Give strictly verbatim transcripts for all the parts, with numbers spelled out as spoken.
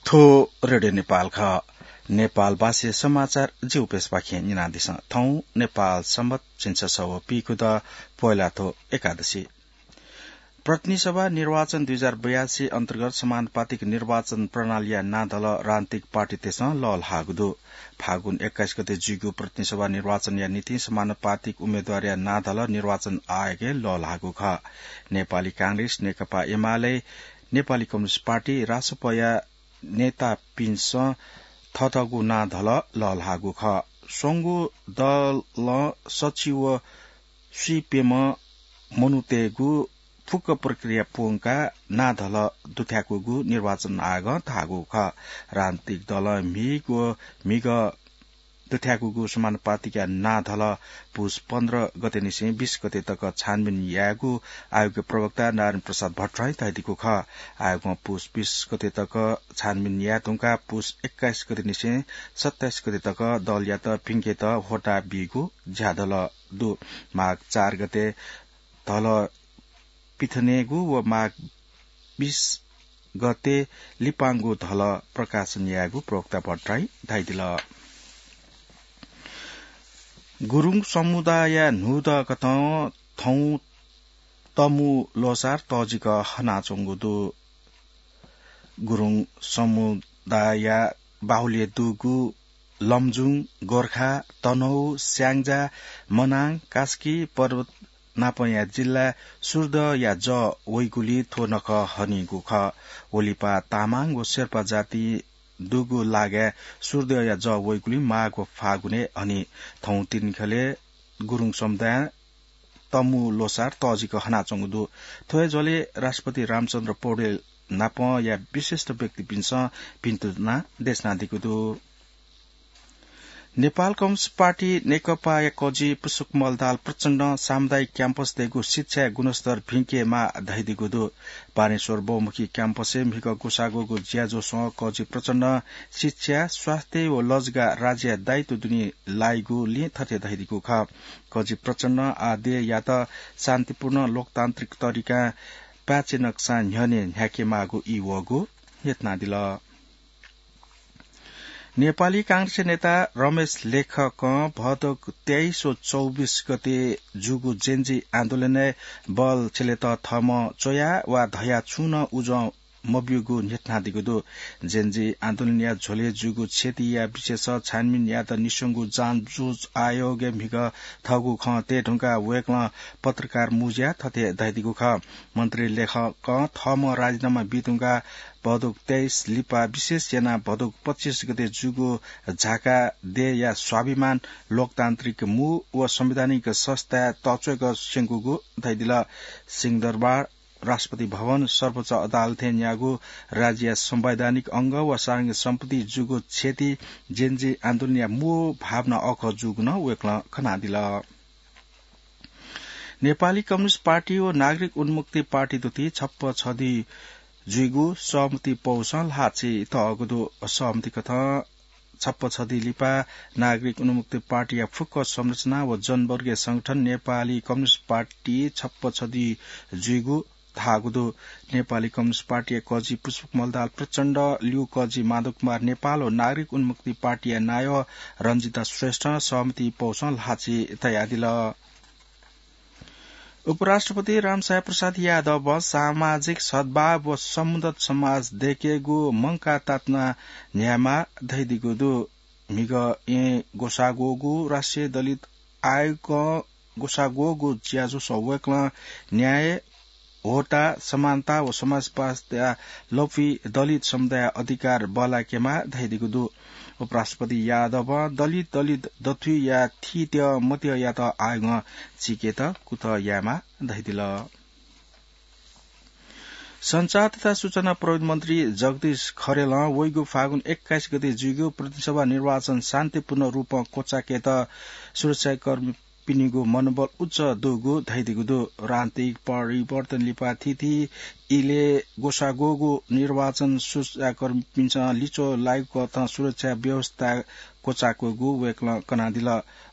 थ्व रेडियो नेपाल खः। नेपाल भाषाया समाचार जिगु प्रेसपाखें न्यनादिसँ। थौं नेपाल संवत् झिंछसः व पीखुदँ पोहेलाथ्व एकादशी। प्रतिनिधि सभा निर्वाचन दुई हजार बयासी अन्तर्गत समानुपातिक निर्वाचन प्रणालीया नां धल राजनीतिक पार्टीतय्सं लःल्हाःगु दु। फागुन एक्काइस गते जुइगु प्रतिनिधि सभा निर्वाचनया निंतिं समानुपातिक उम्मेदवारया नां धल निर्वाचन आयोगय् लःल्हाःगु खः। नेपाली कांग्रेस, नेकपा एमाले, नेपाली कम्युनिस्ट पार्टी, रासपया नेतापिन्सं थःथःगु नां धल लःल्हाःगु खः। स्वंगू दलं सच्छि व स्वीप्यम्ह मनूतय्गु फुक्क प्रक्रिया प्वंकाः नां धल दुथ्याकूगु निर्वाचन आयोगं धाःगु खः। राजनीतिक दलं म्हिगः व म्हिगः दुथ्याकूगु समानुपातिकया नां धल पुस पन्ध्र गतेनिसें बीस गते तक छानबिन यायेगु आयोगया प्रवक्ता नारायण प्रसाद भट्टराईं धयादीगु खः। आयोगं पुस बीस गते तक छानबिन याये धुंकाः पुस एक्काइस गतेनिसें सत्ताइस गते तक दलयात भिंकेत ह्वःताः बीगु ज्या धल दु। माघ चार गते धल पिथनेगु व माघ बीस गते लिपांगु धल प्रकाशन यायेगु प्रवक्ता भट्टराईं धयादिल। गुरुङ समुदाय न्हूदँकथं थौं तमु ल्वःसार तःजिक हनाच्वंगु दु। गुरुङ समुदाय बाहुल्य दुगु लमजुङ, गोर्खा, तनहुँ, स्याङ्जा, मनाङ, कास्की पर्वत नापंया जिल्ला सूर्यदहया जः वइगुलिं थ्व नखः हनीगु खः। व लिपा तामाङ व शेर्पा जाति दुगु लागाय् सूर्यदहया जः वइगुलिं माघ व फागुनय् हनी। थौं तिनिखलय् गुरुङ समुदायं तमु ल्वःसार तःजिक हनाच्वंगु दु। थ्व हे झ्वलय् राष्ट्रपति रामचन्द्र पौडेल नापंया विशिष्ट व्यक्तिपिन्सं भिंतुना देछानादीगु दु। नेपाल कम्युनिस्ट पार्टी नेकपाया कजि पुष्पकमल दाहाल प्रचण्डं सामुदायिक क्याम्पसतय्गु शिक्षाया गुणस्तर भिंकेमाः धयादीगु दु। बानेश्वर बहुमुखी क्याम्पसय् म्हिगः ग्वसाः ग्वःगु ज्याझ्वलय् कजि प्रचण्डं शिक्षा, स्वास्थ्य व लजगाः राज्यया दायित्व दुने लाइगुलिं थथे धयादीगु खः। कजि प्रचण्डं आः देय्‌यात शान्तिपूर्ण लोकतान्त्रिक तरिकां पाय्‌छि नकसां न्ह्यःने न्ह्याकेमाःगु ई वःगु न्ह्यथनादिल। नेपाली कांग्रेसया नेता रमेश लेखकं भदौ तेइस व चौबिस गते जूगु जेन्जी आन्दोलनय् बल छ्यलेत थःम्हं च्वया वा धया छुं नं उजं मब्यूगु न्ह्यथनादीगु दु। जेन्जी आन्दोलनया झ्वलय् जूगु क्षतिया विषयस छानबिन यायेत निस्वंगु जाँच जुजुं आयोगय् म्हिगः थःगु खँ तये धुंकाः वय्कलं पत्रकार मुँज्याय् थथे धयादीगु खः। मन्त्री लेखकं थःम्हं राजीनामा बी धुंकाः भदौ तेइस लिपा विशेष यानाः भदौ पच्चिस गते जूगु झाका देय्‌या स्वाभिमान, लोकतान्त्रिक मू व संवैधानिक संस्थाय् तःच्वय्क स्यंकूगु धयादिल। सिंहदरबार, राष्ट्रपति भवन, सर्वोच्च अदालतय् न्याःगु राज्यया संवैधानिक अंग व सार्वजनिक सम्पत्ति जूगु क्षति जेन्जी आन्दोलनया मू भावना अःखः जूगु नं वय्कलं खनादिल। नेपाली कम्युनिस्ट पार्टी व नागरिक उन्मुक्ति पार्टी तुति छप्पा छधी जुइगु सहमति पौसं ल्हाःछि तःगु दु। सहमति कथं छप्पा छधी लिपा नागरिक उन्मुक्ति पार्टीया फुक्क संरचना व जनवर्गीय संगठन नेपाली कम्युनिस्ट पार्टी छप्पा छधी जुइगु धाःगु दु। नेपाली कम्युनिस्ट पार्टीया कजि पुष्पकमल दाहाल प्रचण्ड, ल्यू कजि माधव कुमार नेपाल व नागरिक उन्मुक्ति पार्टीया नायः रञ्जिता श्रेष्ठं सहमति पौसं ल्हाःछि तयादिल। उपराष्ट्रपति रामसाय प्रसाद यादवं सामाजिक सद्भाव व समुन्नत समाज दयेकेगु मंकाः तातुना न्ह्यायेमाः धयादीगु दु। म्हिगः येँ ग्वसाः ग्वःगु राष्ट्रिय दलित आयोगं ग्वसाः ग्वःगु ज्याझ्वलय् वय्कलं न्याय, होता, समानता व समाजपास्ता लफुइ दलित समुदाय अधिकार बल्लाकेमाः धयादीगु दु। उपराष्ट्रपति यादवं दलित, दलित दथुइया थीत्यः मत्यःयात आयोगं चीकेत कुतः यायेमाः धयादिल। सञ्चार तथा सूचना प्रविधि मन्त्री जगदीश खरेलं वइगु फागुन एक्काइस गते जुइगु प्रतिनिधि सभा निर्वाचन शान्तिपूर्ण रूपं क्वचाकेत सुरक्षाकर्मी पिनिगु मनोबल उच्च दुगु धयादीगु दु। राजनीतिक परिवर्तन लिपा थीथी इलय् ग्वसाः ग्वःगु निर्वाचन सुरक्षाकर्मीपिन्सं लिच्वः लाइगु कथं सुरक्षा व्यवस्था क्वचाःगु वय्कलं कनादिल।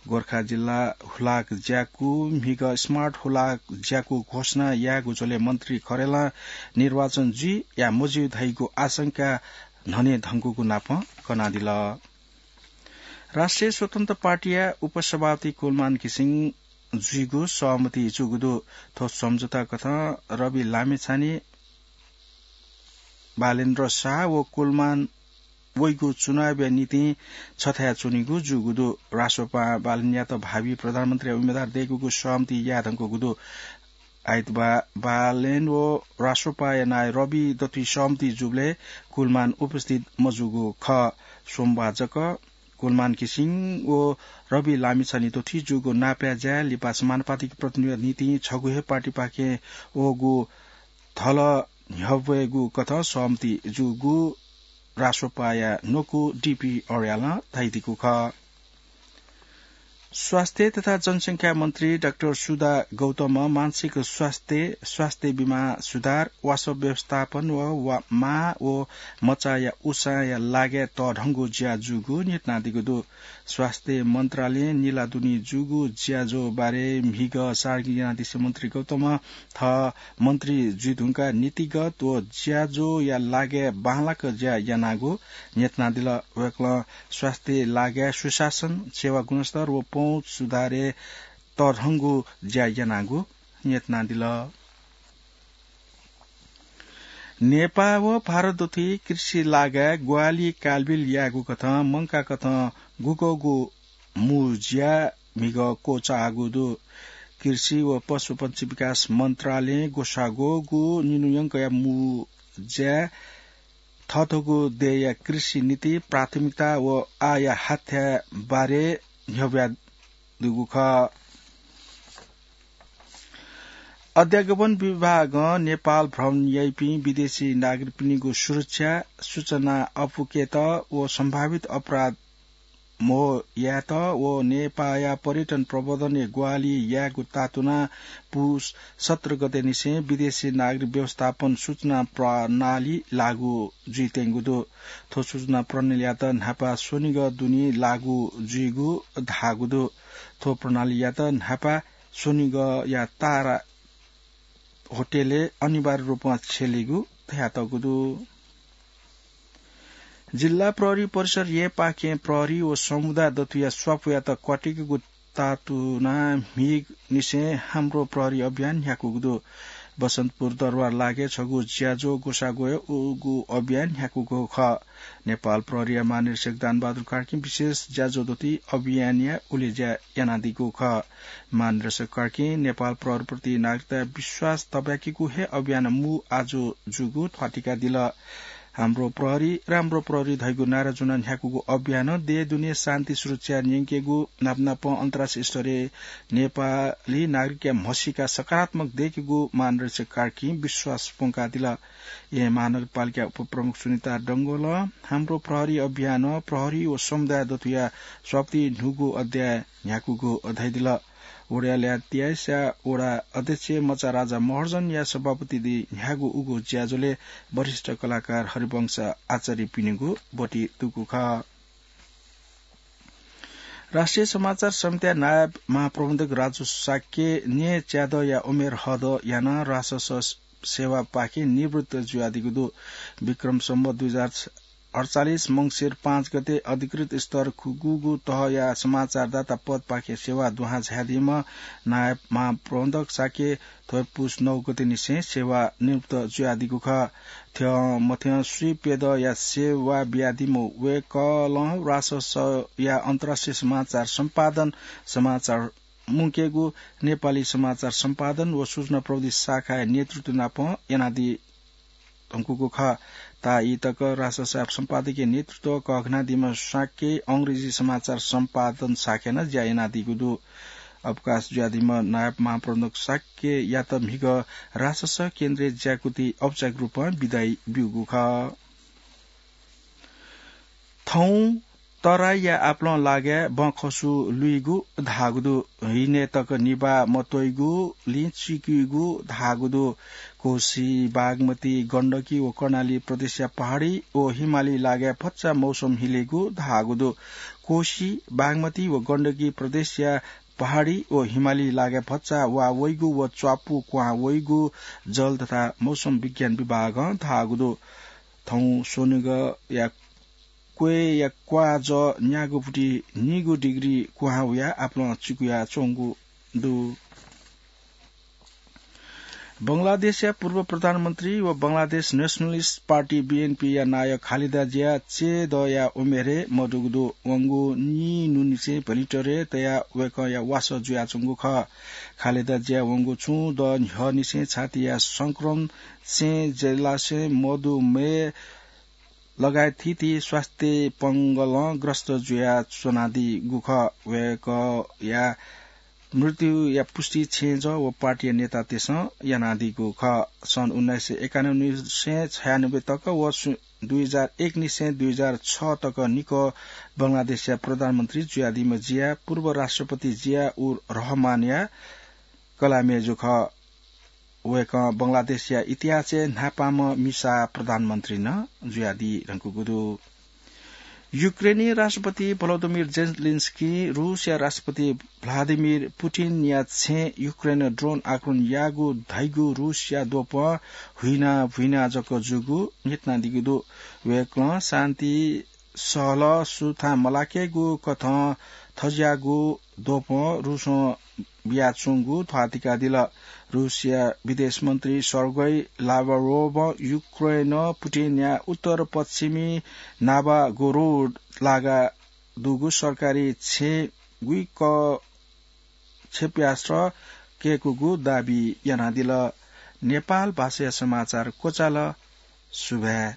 गोरखा जिल्ला हुलाक ज्याकू म्हिगः smart हुलाक ज्याकू घोषणा याःगु झ्वलय् मन्त्री खरेलं निर्वाचन जुइ या मजुइ धइगु आशंका न्हने धंगुगु नापं कनादिल। राष्ट्रिय स्वतन्त्र पार्टीया उपसभापति कुलमान घिसिङ जुइगु सहमति जूगु दु। थ्व सम्झौता कथं रवि लामिछाने, बालेन्द्र शाह व कुलमान वइगु चुनावया निंतिं छथाय् च्वनीगु जूगु दु। रासोपां बालेनयात भावी प्रधानमन्त्रीया उम्मेदवार दय्कूगु सहमति याये धंकूगु दु। आइतबाः बालेन व रासोपाया नायः रवि दथुइ सहमति जूबलय् कुलमान उपस्थित मजूगु खः। सोमबाः जक कुलमान घिसिङ व रवि लामिछाने दथुइ जूगु नापया ज्याय् लिपा समानुपातिक प्रतिनिधिया निंतिं छगू हे पार्टीपाखें वःगु थल न्ह्यब्वयेगु कथं सहमति जूगु रासोपाया न्वकू डीपी अर्यालं धयादीगु खः। स्वास्थ्य तथा जनसंख्या मन्त्री डाक्टर सुधा गौतमं मानसिक स्वास्थ्य, स्वास्थ्य बिमा सुधार, वासः व्यवस्थापन व वा-, मां व मचाया उसाँया लागाय् तःधंगु ज्या जूगु न्ह्यथनादीगु दु। स्वास्थ्य मन्त्रालयं निलाः दुने जूगु ज्याझ्वः बारे म्हिगः सार्वजनिक यानादिसें मन्त्री गौतमं थः मन्त्री जुइधुंकाः नीतिगत व ज्याझ्वःया लागाय् बांलाक ज्या यानागु न्ह्यथनादिल। वय्कलं स्वास्थ्य लागाय् सुशासन, सेवा गुणस्तर व पहुँच सुधारय् तःधंगु ज्या यानागु न्ह्यथनादिल। नेपाः व भारत दथुइ कृषि लागाय् ग्वाहालि कालबिल यायेगु कथं मंकाकथं गुगःगु मू ज्या म्हिगः क्वचाःगु दु। कृषि व पशुपन्छी विकास मन्त्रालयं ग्वसाः ग्वःगु निन्हु यंकया मू ज्याय् थःथःगु देय्‌या कृषि नीति, प्राथमिकता व आःया हाथ्याः बारे न्ह्यब्वयादीगु खः। अध्यागमन विभागं नेपाल भ्रमण याइपिं विदेशी नागरिकपिनिगु सुरक्षा, सूचना अपुकेत व सम्भावित अपराध म्हो यायेत व नेपाःया पर्यटन प्रवर्धनय् ग्वाहालि यायेगु तातुनाः पुस सत्र गते निसें विदेशी नागरिक व्यवस्थापन सूचना प्रणाली लागू जुइत्यंगु दु। थ्व सूचना प्रणालीयात न्हापा स्वनिगः दुने लागू जुइगु धाःगु दु। थ्व प्रणालीयात न्हापा स्वनिगःया तारा होटलय् अनिवार्य रूपं छ्यलेगु धयातःगु दु। जिल्ला प्रहरी परिसर येँपाखें प्रहरी व समुदाय दथुया स्वापूयात क्वातिकेगु तातुनाः म्हिगःनिसें हाम्रो प्रहरी अभियान न्ह्याकूगु दु। बसन्तपुर दरबार लागाय् छगू ज्याझ्वः ग्वसाः ग्वयेगु अभियान न्ह्याकूगु खः। नेपाल प्रहरीया महानिरीक्षक दानबहादुर कार्कीं विशेष ज्याझ्वः दथुइ अभियानया उलेज्या यानादीगु खः। महानिरीक्षक कार्कीं नेपाल प्रहरीप्रति नागरिकताया विश्वास तब्याकीगु हे अभियान मू आजु जूगु ध्वाथुइकादिल। हाम्रो प्रहरी, राम्रो प्रहरी धइगु नारा ज्वनाः न्ह्याकूगु अभियानं देय् दुने शान्ति सुरक्षा न्यंकेगु नापनापं अन्तर्राष्ट्रिय स्तरय् नेपाली नागरिकया म्हसीका सकारात्मक दय्केगु महानिरीक्षक कार्कीं विश्वास प्वंकादिल। येँ महानगरपालिका उपप्रमुख सुनिता डंगोलं हाम्रो प्रहरी अभियानं प्रहरी व समुदाय दथुया स्वापति न्हूगु अध्याय न्ह्याकूगु धयादिल। वडा ल्याः तियाइसा वडा अध्यक्ष मचा राजा महर्जनया सभापतिति न्ह्यागु उगु ज्याझ्वलय् वरिष्ठ कलाकार हरिवंश आचार्यपिनिगु ब्वति दुगु खः। राष्ट्रिय समाचार समितिया नायब महाप्रबन्धक राजु शाक्य न्यय् च्यादँया उमेर हद यानाः रासस सेवापाखें निवृत्त जुयादीगु दु। विक्रम सम्वत दुई हजार अडचालिस मंसिर पाँच गते अधिकृत स्तर खु-, गुगु तहया समाचारदाता पदपाखें सेवा दुहां झायादीम्ह नायब महाप्रबन्धक शाक्य थ्व पुस नौ गते निसें सेवा निवृत्त जुयादीगु खः। थ्यं मथ्यं स्वीप्यदँया सेवा बियादीम्ह वय्कलं राससया अन्तर्राष्ट्रिय समाचार सम्पादन, समाचार मुंकेगु, नेपाली समाचार सम्पादन व सूचना प्रविधि शाखाया नेतृत्व नापं यानादी धुंकूगु खः। ताःई तक राससया सम्पादकीय नेतृत्व कःघानादीम्ह शाक्यं अंग्रेजी समाचार सम्पादन शाखाय् नं ज्या यानादीगु दु। अवकाश जुयादीम्ह नायब महाप्रबन्धक शाक्ययात म्हिगः रासस केन्द्रय् ज्याकुथि औपचारिक रूपं बिदाइ ब्यूगु खः। थौं तराईया आपालं लागाय् बँखसु लुइगु धाःगु दु। हिनय् तक निभाः मत्वइगुलिं चिकुइगु धाःगु दु। कोशी, बागमती, गण्डकी व कर्णाली प्रदेशया पहाडी व हिमाली लागाय् भचा मौसम हिलेगु धाःगु दु। कोशी, बागमती व गण्डकी प्रदेशया पहाडी व हिमाली लागाय् भचा वाः वइगु व च्वापु क्वहां वइगु जल तथा मौसम विज्ञान विभागं धाःगु दु। थौं स्वनिगःया क्वय्‌या क्वाःजः न्यागूपुटी नीगू डिग्री कुहां वयाः आपालं चिकुयाच्वंगु दु। बंगलादेशया पूर्व प्रधानमन्त्री व बंगलादेश नेसनलिस्ट पार्टी, बीएनपीया नायः खालेदा जिया चय्‌दःया उमेरय् मदुगु दु। वंगु नीन्हुनिसें भेन्टिलेटरय् तयाः वय्‌कःया वासः जुयाच्वंगु खः। खालेदा जिया वंगु छुं दँ न्ह्यःनिसें छातीया संक्रमणसें, जलाशयं, मधुमेह लगायत थीथी स्वास्थ्य पंगलं ग्रस्त जुयाच्वनादीगु खः। वय्‌कःया मृत्युया पुष्टि छेँजः व पार्टीया नेतातय्‌सं यानादीगु खः। सन् उन्नाइस सय एकानब्बे निसें छयानब्बे तक व सु-, दुई हजार एक निसें दुई हजार छ तक निकः बंगलादेशया प्रधानमन्त्री जुयादीम्ह जिया पूर्व राष्ट्रपति जिया उर रहमानया कलाःम्हेजु खः। वय्‌कः बंगलादेशया इतिहासय् न्हापांम्ह मिसा प्रधानमन्त्री नं जुयादी धुंकूगु दु। युक्रेनी राष्ट्रपति भलोदिमिर जेलेन्स्कीं रूसया राष्ट्रपति भ्लादिमिर पुटिनया छेँय् युक्रेनं ड्रोन आक्रमण याःगु धइगु रूसया द्वपं हुइना भुइना जक जूगु न्ह्यथनादीगु दु। वय्‌कलं शान्ति सहलह सुथां मलाकेगु कथं थज्याःगु द्वपं रूसं बियाच्वंगु ध्वाथुइकादिल। रूसया विदेश मन्त्री सर्गेई लाभरोभं युक्रेनं पुटिनया उत्तर पश्चिमी नाभागोरोड लागा दुगु सरकारी छेँय् गुइक क्षेप्यास्त्र कय्‌कूगु दाबी यानादिल। नेपाल भाषाया समाचार क्वचाल। सुभाय्।